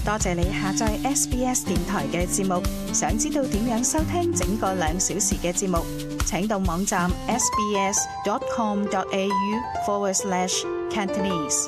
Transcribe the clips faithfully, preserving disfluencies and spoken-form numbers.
多謝你下載 S B S 電台嘅節目。想知道點樣收聽整個兩小時嘅節目，請到網站 sbs.com.au forward slash Cantonese。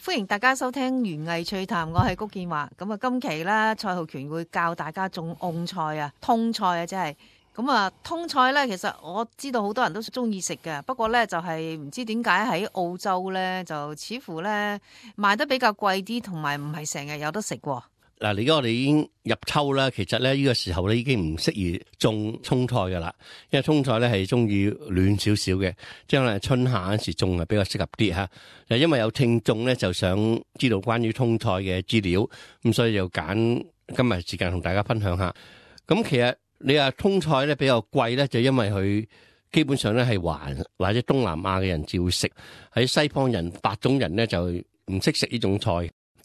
歡迎大家收聽園藝趣談，我係谷建華。咁啊，今期咧蔡浩權會教大家種蕹菜啊，通菜啊，即係咁啊。通菜咧，其實我知道好多人都中意食嘅，不過咧就係唔知點解喺澳洲咧就似乎咧賣得比較貴啲，同埋唔係成日有得食喎。嗱，而家我哋已經入秋啦，其實咧呢個時候咧已經唔適宜種蔥菜噶啦，因為蔥菜咧係中意暖少少嘅，即係可能春夏嗰時種係比較適合啲吓。就因為有聽眾咧就想知道關於蔥菜嘅資料，咁所以就揀今日時間同大家分享下。咁其實你話蔥菜咧比較貴咧，就因為佢基本上咧係華或者東南亞嘅人至會食，喺西方人白種人咧就唔識食呢種菜。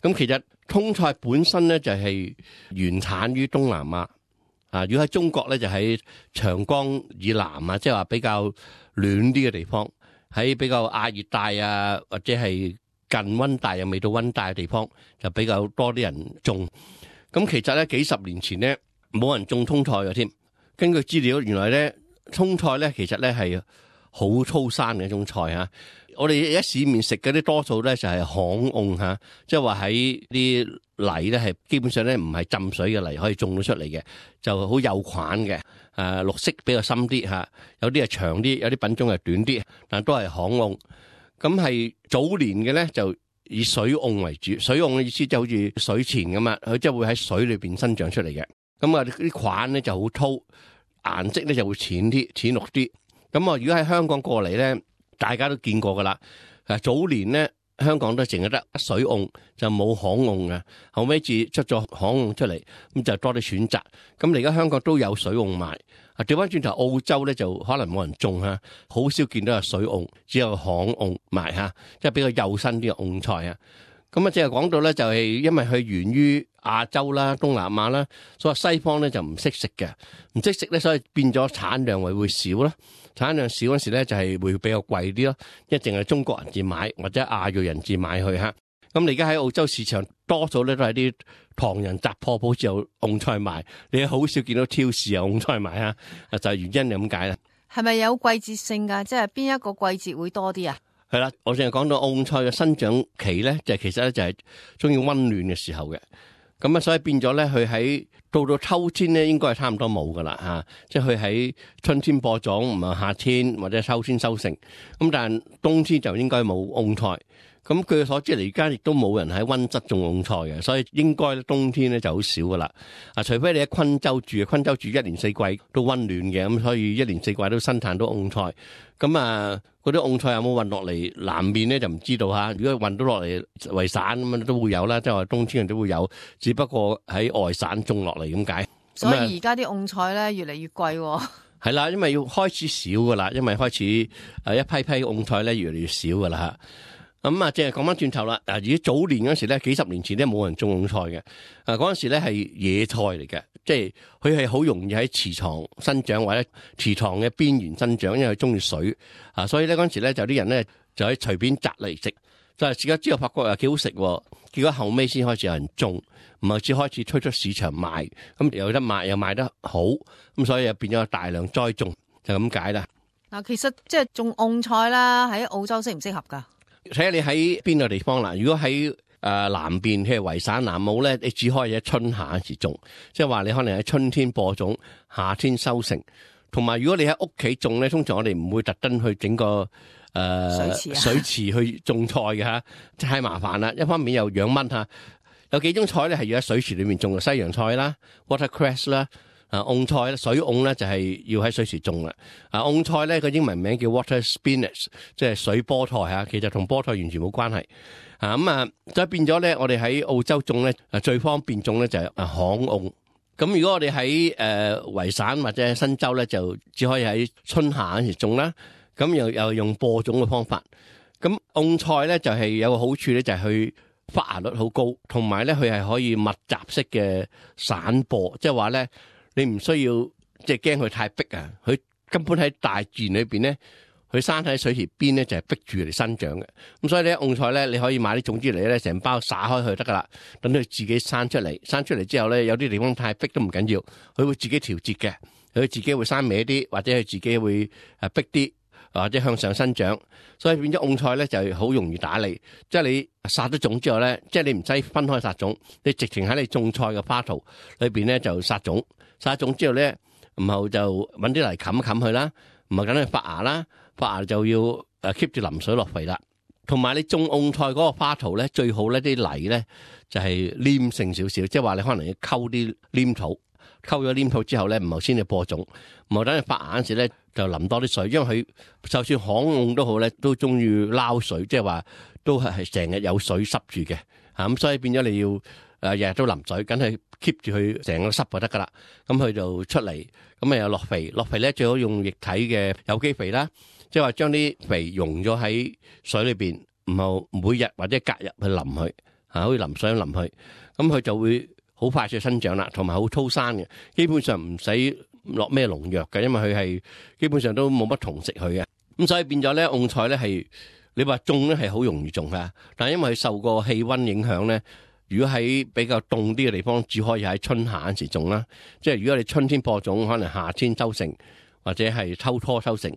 咁其實蔥菜本身咧就係原產於東南亞，啊，如果喺中國咧就喺長江以南啊，即係話比較暖啲嘅地方，喺比較亞熱帶啊或者係近溫帶又未到溫帶嘅地方，就比較多啲人種。咁其實咧幾十年前咧冇人種蔥菜嘅添。根據資料，原來咧蔥菜咧其實咧係好粗生嘅一種菜啊。我哋而家市面食嗰啲多數咧就係巷蕹吓，即係話喺啲泥咧係基本上咧唔係浸水嘅泥可以種到出嚟嘅，就好幼款嘅，誒綠色比較深啲吓，有啲係長啲，有啲品種係短啲，但都係巷蕹。咁係早年嘅咧就以水蕹為主，水蕹嘅意思就好似水錢咁啊，佢即係會喺水裏邊生長出嚟嘅。咁啊啲款咧就好粗，顏色咧就會淺啲，淺綠啲。咁啊如果喺香港過嚟咧，大家都見過噶啦，早年咧香港都淨係得水蕹，就冇巷蕹嘅，後尾至出咗巷蕹出嚟，咁就多啲選擇。咁而家香港都有水蕹賣，啊調翻轉頭澳洲咧就可能冇人種吓，好少見到有水蕹，只有巷蕹賣吓，即係比較幼身啲嘅蕹菜啊。咁啊，即係講到咧，就係因為佢源於亞洲啦、東南亞啦，所以西方咧就唔識食嘅，唔識食咧，所以變咗產量會會少啦。產量少嗰時咧，就係會比較貴啲咯，一定係中國人至買或者亞裔人至買去吓。咁你而家喺澳洲市場，多數咧都係啲唐人雜貨鋪先有蕹菜賣，你好少見到超市有蕹菜賣啊，就係原因就咁解啦。係咪有季節性噶？即係邊一個季節會多啲啊？係啦，我淨係講到蕹菜嘅生長期咧，就其實咧就係中意溫暖嘅時候嘅。咁啊，所以變咗咧，佢喺到到秋天咧，應該係差唔多冇噶啦吓，即係佢喺春天播種，唔係夏天或者秋天收成。咁但係冬天就應該冇蕹菜。咁據所知嚟，而家亦都冇人喺溫室種蕹菜嘅，所以應該冬天咧就好少噶啦。啊，除非你喺昆州住，昆州住一年四季都溫暖嘅，咁所以一年四季都生產到蕹菜。咁啊，嗰啲蕹菜有冇運落嚟南面咧就唔知道吓。如果運到落嚟維省咁樣都會有啦，即係話冬天人都會有，只不過喺外省種落嚟咁解。所以而家啲蕹菜咧越嚟越貴喎。係啦，因為要開始少噶啦，因為開始誒一批批蕹菜咧越嚟越少噶啦吓。咁啊，即係講翻轉頭啦。嗱，如果早年嗰時咧，幾十年前咧冇人種蕹菜嘅。啊，嗰陣時咧係野菜嚟嘅，即係佢係好容易喺池塘生長或者池塘嘅邊緣生長，因為佢中意水啊。所以咧嗰陣時咧就啲人咧就可以隨便摘嚟食。就係食咗之後發覺又幾好食，結果後尾先開始有人種，唔係至開始推出市場賣，咁有得賣又賣得好，咁所以又變咗大量栽種，就咁解啦。嗱，其實即係種蕹菜啦，喺澳洲適唔適合噶？睇下你喺邊個地方啦。如果喺誒、呃、南邊，譬如維省南澳咧，你只可以喺春夏時種，即係話你可能喺春天播種，夏天收成。同埋如果你喺屋企種咧，通常我哋唔會特登去整個誒、呃、水池、啊、水池去種菜嘅吓，太麻煩啦。一方面又養蚊吓，有幾種菜咧係要喺水池裏面種嘅，西洋菜啦、watercress 啦。啊，蕹菜咧，水蕹咧就係要喺水池種啦。啊，蕹菜咧個英文名叫 water spinach， 即係水菠菜吓，其實同菠菜完全冇關係。啊，咁啊，所以變咗咧，我哋喺澳洲種咧，啊最方便種咧就係啊巷蕹。咁如果我哋喺誒維省或者新州咧，就只可以喺春夏嗰時種啦。咁又又用播種嘅方法。咁蕹菜咧就係有個好處咧，就係佢發芽率好高，同埋咧佢係可以密集式嘅散播，即係話咧。你唔需要即係驚佢太逼啊！佢根本喺大自然裏邊咧，佢生喺水池邊咧就係逼住嚟生長嘅。咁所以咧，蕹菜咧你可以買啲種子嚟咧，成包撒開去得噶啦，等佢自己生出嚟。生出嚟之後咧，有啲地方太逼都唔緊要，佢會自己調節嘅，佢自己會生歪啲，或者佢自己會誒逼啲，或者向上生長。所以變咗蕹菜咧就好容易打理，即係你撒咗種之後咧，即係你唔使分開撒種，你直情喺你種菜嘅花槽裏邊咧就撒種，撒種之後咧，然後就揾啲泥冚一冚佢啦，唔係等佢發芽啦，發芽就要誒 keep 住淋水落肥啦。同埋你種蕹菜嗰個花槽咧，最好咧啲泥咧就係黏性少少，即係話你可能要溝啲黏土，溝咗黏土之後咧，唔係先至播種，唔係等佢發芽嗰時咧就淋多啲水，因為佢就算旱蕹都好咧，都中意撈水，即係話都係係成日有水濕住嘅嚇，咁所以變咗你要誒日日都淋水，梗係 keep 住佢成個濕就得噶啦。咁佢就出嚟，咁啊又落肥，落肥咧最好用液體嘅有機肥啦。即係話將啲肥溶咗喺水裏邊，唔好每日或者隔日去淋佢，嚇，好似淋水咁淋佢，咁佢就會好快速生長啦，同埋好粗生嘅，基本上唔使落咩農藥嘅，因為佢係基本上都冇乜蟲食佢嘅，咁所以變咗咧，蕹菜咧係你話種咧係好容易種㗎，但係因為佢受個氣温影響咧，如果喺比較凍啲嘅地方，只可以喺春夏嗰時種啦，即係如果你春天播種，可能夏天收成或者係秋初收成。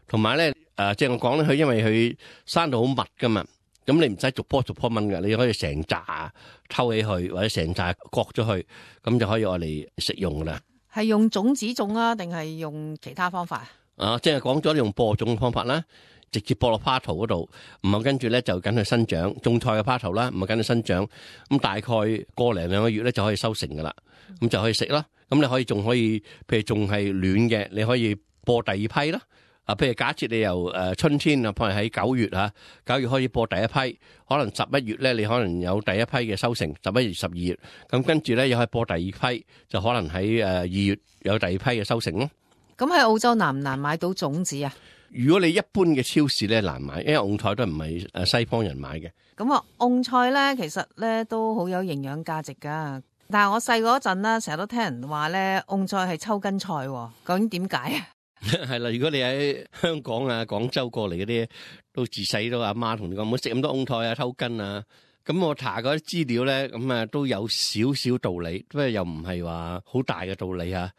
同埋咧，誒，即係我講咧，佢因為佢生到好密噶嘛，咁你唔使逐棵逐棵掹嘅，你可以成扎抽起去，或者成扎割咗去，咁就可以愛嚟食用噶啦。係用種子種啊，定係用其他方法？啊，即係講咗用播種嘅方法啦，直接播落花槽嗰度，唔係跟住咧就緊去生長，種菜嘅花槽啦，唔係緊去生長，咁大概個零兩個月咧就可以收成噶啦，咁就可以食啦。咁你可以仲可以，譬如仲係暖嘅，你可以播第二批啦。啊，譬如假設你由誒春天啊，譬如喺九月嚇，九月開始播第一批，可能十一月咧，你可能有第一批嘅收成，十一月、十二月，咁跟住咧又可以播第二批，就可能喺誒二月有第二批嘅收成咯。咁喺澳洲難唔難買到種子啊？如果你一般嘅超市咧難買，因為蕹菜都唔係誒西方人買嘅。咁啊，蕹菜咧其實咧都好有營養價值㗎。但係我細嗰陣啦，成日都聽人話咧，蕹菜係抽筋菜喎，究竟點解啊？係啦，如果你喺香港啊、廣州過嚟嗰啲，都自細都阿媽同你講唔好食咁多蕹菜啊、抽筋啊。咁我查嗰啲資料咧，咁啊都有少少道理，不過又唔係話好大嘅道理啊。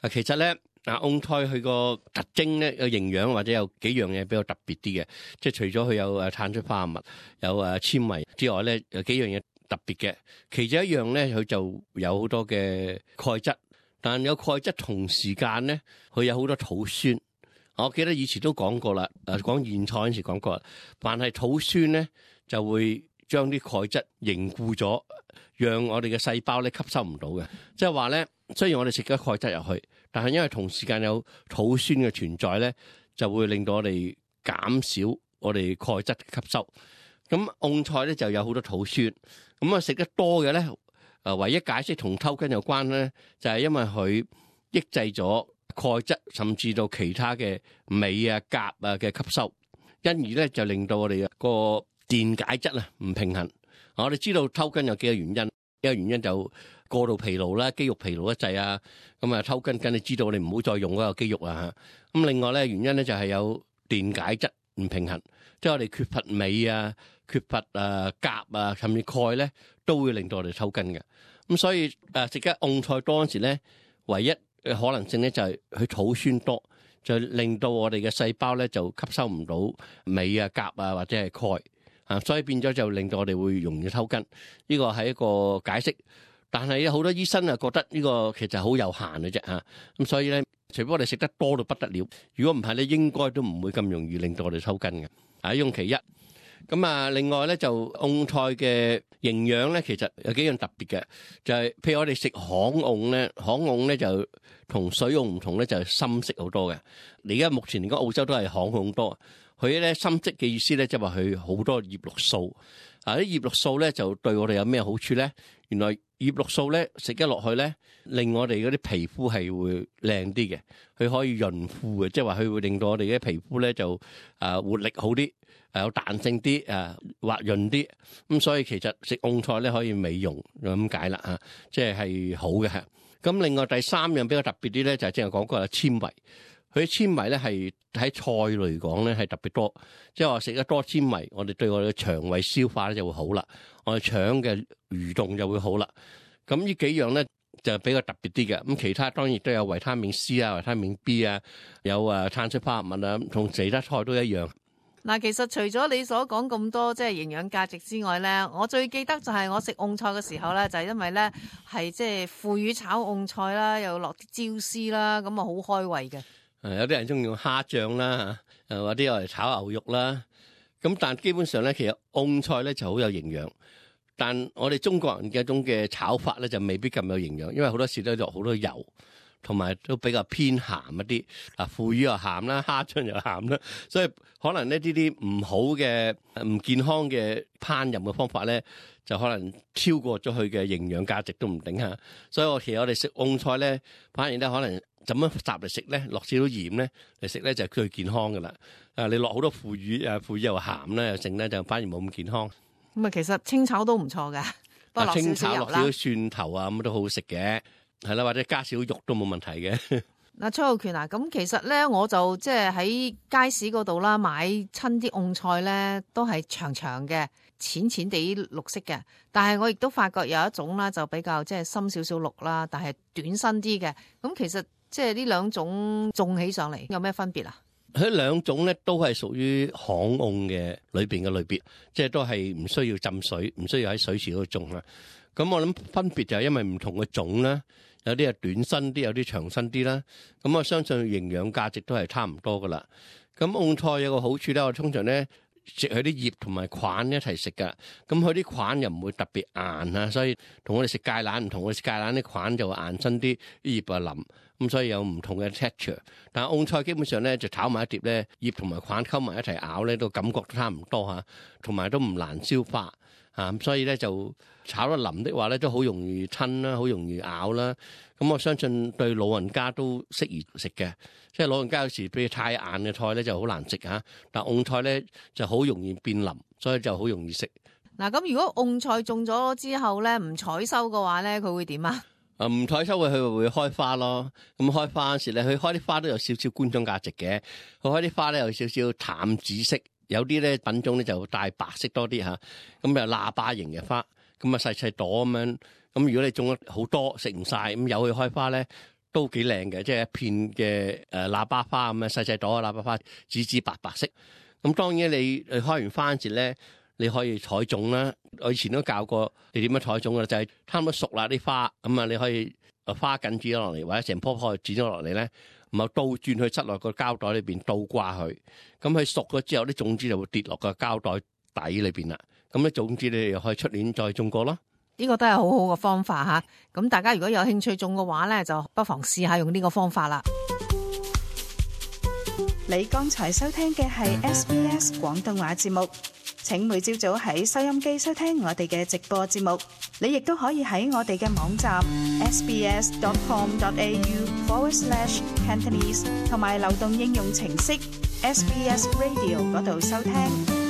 啊，其實咧啊，蕹菜佢個特徵咧，有營養或者有幾樣嘢比較特別啲嘅，即係除咗佢有誒碳水化合物、有誒纖維之外咧，有幾樣嘢特別嘅。其中一樣咧，佢就有好多嘅鈣質。但有鈣質同時間咧，佢有好多土酸。我記得以前都講過啦，誒講莧菜嗰陣時講過，但係土酸咧就會將啲鈣質凝固咗，讓我哋嘅細胞咧吸收唔到嘅。即係話咧，雖然我哋食咗鈣質入去，但係因為同時間有土酸嘅存在咧，就會令到我哋減少我哋鈣質吸收。咁蕹菜咧就有好多土酸，咁啊食得多嘅咧。誒唯一解釋同抽筋有關咧，就係因為佢抑制咗鈣質，甚至到其他嘅鎂啊、鉀啊嘅吸收，因而咧就令到我哋個電解質啊唔平衡。我哋知道抽筋有幾個原因，一個原因就過度疲勞啦，肌肉疲勞一滯啊，咁啊抽筋，梗你知道你唔好再用嗰個肌肉啊嚇。咁另外咧原因咧就係有電解質唔平衡，即係我哋缺乏鎂啊、缺乏誒鉀啊，甚至鈣咧，都會令到我哋抽筋嘅。咁所以誒食得蕹菜多嗰時咧，唯一嘅可能性咧就係佢土酸多，就令到我哋嘅細胞咧就吸收唔到鎂啊、鉀啊或者係鈣啊，所以變咗就令到我哋會容易抽筋。呢個係一個解釋，但係好多醫生啊覺得呢個其實好有限嘅啫嚇。咁所以咧，除非我哋食得多到不得了，如果唔係咧，應該都唔會咁容易令到我哋抽筋嘅。啊，用其一。咁啊，另外咧就蕹菜嘅營養咧，其實有幾樣特別嘅，就係、是、譬如我哋食巷蕹咧，巷蕹咧就同水蕹唔同咧，就係深色好多嘅。而家目前嚟講，澳洲都係巷蕹多，佢咧深色嘅意思咧，即係話佢好多葉綠素。啊，啲葉綠素咧就對我哋有咩好處咧？原來葉綠素咧食得落去咧，令我哋嗰啲皮膚係會靚啲嘅，佢可以潤膚嘅，即係話佢會令到我哋嘅皮膚咧就啊活力好啲。誒有彈性啲，誒滑潤啲，咁所以其實食蕹菜咧可以美容咁解啦嚇，即係係好嘅嚇。咁另外第三樣比較特別啲咧，就係正係講過有纖維。佢啲纖維咧係喺菜嚟講咧係特別多，即係話食得多纖維，我哋對我哋嘅腸胃消化咧就會好啦，我哋腸嘅蠕動就會好啦。咁呢幾樣咧就比較特別啲嘅。咁其他當然都有維他命 C 啊、維他命 B 啊，有啊碳水化合物啊，同其他菜都一樣。嗱，其實除咗你所講咁多即係營養價值之外咧，我最記得就係我食蕹菜嘅時候咧，就係因為咧係即係腐乳炒蕹菜啦，又落啲椒絲啦，咁啊好開胃嘅。誒，有啲人中意用蝦醬啦，誒或者我嚟炒牛肉啦。咁但基本上咧，其實蕹菜咧就好有營養，但我哋中國人嘅一種嘅炒法咧就未必咁有營養，因為好多時都落好多油。同埋都比較偏鹹一啲，啊腐乳又鹹啦，蝦醬又鹹啦，所以可能呢啲啲唔好嘅唔健康嘅烹飪嘅方法咧，就可能超過咗佢嘅營養價值都唔定嚇。所以我其實我哋食蕹菜咧，反而咧可能怎樣雜嚟食咧，落少少鹽咧嚟食咧就係最健康噶啦。啊，你落好多腐乳啊，腐乳又鹹咧又剩咧，就反而冇咁健康。咁啊，其實清炒都唔錯嘅，不過落少少油啦，清炒落少少蒜頭啊，咁都好好食嘅。係啦，或者加少肉都冇問題嘅。嗱，蔡浩權啊，咁其實咧，我就即係喺街市嗰度啦，買親啲蕹菜咧，都係長長嘅、淺淺地綠色嘅。但係我亦都發覺有一種啦，就比較即係深少少綠啦，但係短身啲嘅。咁其實即係呢兩種種起上嚟有咩分別啊？佢兩種咧都係屬於巷蕹嘅裏邊嘅類別，即係都係唔需要浸水，唔需要喺水池嗰度種啦。咁我諗分別就係因為唔同嘅種啦。有啲係短身啲，有啲長身啲啦。咁我相信營養價值都係差唔多噶啦。咁蕹菜有個好處咧，我通常咧食佢啲葉同埋菌一齊食噶。咁佢啲菌又唔會特別硬啊，所以同我哋食芥蘭唔同。我哋食芥蘭啲菌就會硬身啲，啲葉啊腍。咁所以有唔同嘅 texture。但係蕹菜基本上咧就炒埋一碟咧，葉同埋菌溝埋一齊咬咧，都感覺都差唔多嚇，同埋都唔難消化。啊，所以咧就炒得腍的話咧，都好容易吞啦，好容易咬啦。咁我相信對老人家都適宜食嘅，即係老人家有時譬如太硬嘅菜咧就好難食嚇，但蕹菜咧就好容易變腍，所以就好容易食。嗱，咁如果蕹菜種咗之後咧唔採收嘅話咧，佢會點啊？啊，唔採收佢佢會開花咯。咁開花嗰時咧，佢開啲花都有少少觀賞價值嘅。佢開啲花咧有少少淡紫色。有啲咧品種咧就帶白色多啲嚇，咁又喇叭形嘅花，咁啊細細朵咁樣，咁如果你種咗好多食唔晒，咁由佢開花咧都幾靚嘅，即係一片嘅誒喇叭花咁樣細細朵嘅喇叭花，紫紫白白色。咁當然你你開完花時咧，你可以採種啦。我以前都教過你點樣採種嘅，就係差唔多熟啦啲花，咁啊你可以花緊剪咗落嚟，或者成棵棵剪咗落嚟咧。唔係倒轉去塞落個膠袋裏邊倒掛佢，咁佢熟咗之後啲種子就會跌落個膠袋底裏邊啦。咁啲種子你又可以出年再種過咯。呢個都係好好嘅方法嚇。咁大家如果有興趣種嘅話咧，就不妨試下用呢個方法啦。你剛才收聽嘅係 S B S 廣東話節目。請每朝早喺收音機收聽我哋嘅直播節目。你亦都可以喺我哋嘅網站 sbs.com.au forward slash Cantonese 同埋流動應用程式 S B S Radio 嗰度收聽。